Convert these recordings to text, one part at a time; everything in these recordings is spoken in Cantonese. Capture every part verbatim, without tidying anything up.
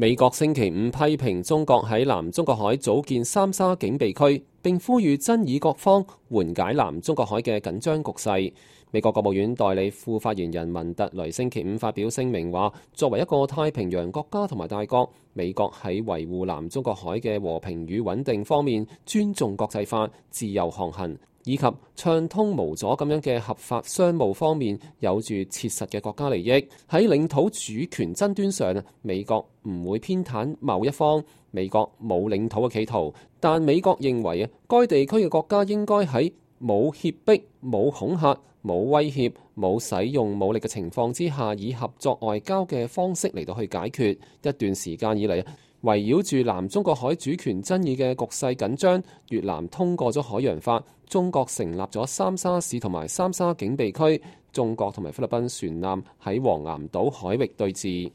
美國星期五批評中國喺南中國海組建三沙警備區，並呼籲爭議各方緩解南中國海嘅緊張局勢。美國國務院代理副發言人文特雷星期五發表聲明話，作為一個太平洋國家同埋大國，美國喺維護南中國海嘅和平與穩定方面，尊重國際法、自由航行以及暢通無阻咁樣嘅合法商務方面，有住切實嘅國家利益。喺領土主權爭端上，美國唔會偏袒某一方。美國冇領土嘅企圖，但美國認為啊，該地區嘅國家應該喺冇脅迫、冇恐嚇、冇威脅、冇使用武力嘅情況之下，以合作外交嘅方式嚟到去解決。一段時間以嚟，圍繞住南中國海主權爭議嘅局勢緊張，越南通過咗海洋法，中國成立咗三沙市同埋三沙警備區，中國同埋菲律賓船艦喺黃岩島海域對峙。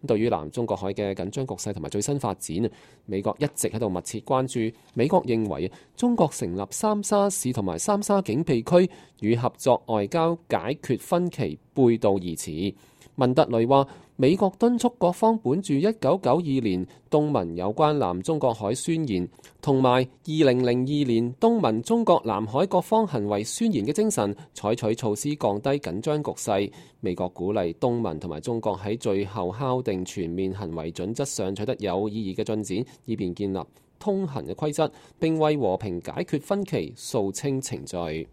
對於南中國海嘅緊張局勢同埋最新發展，美國一直喺度密切關注。美國認為中國成立三沙市同埋三沙警備區與合作外交解決分歧背道而馳。文特雷話，美國敦促各方本住一九九二年東盟有關南中國海宣言同埋二零零二年東盟中國南海各方行為宣言嘅精神，採取措施降低緊張局勢。美國鼓勵東盟同埋中國喺最後敲定全面行為準則上取得有意義嘅進展，以便建立通行嘅規則，並為和平解決分歧掃清程序。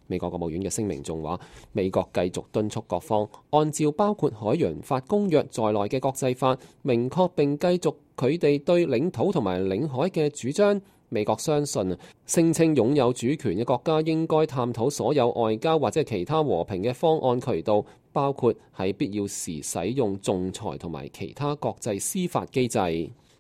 美國國務院嘅聲明仲話，美國繼續敦促各方按照包括海洋法公約在內嘅國際法，明確並繼續佢哋對領土同埋領海嘅主張。美國相信，聲稱擁有主權嘅國家應該探討所有外交或者其他和平嘅方案渠道，包括喺必要時使用仲裁同埋其他國際司法機制。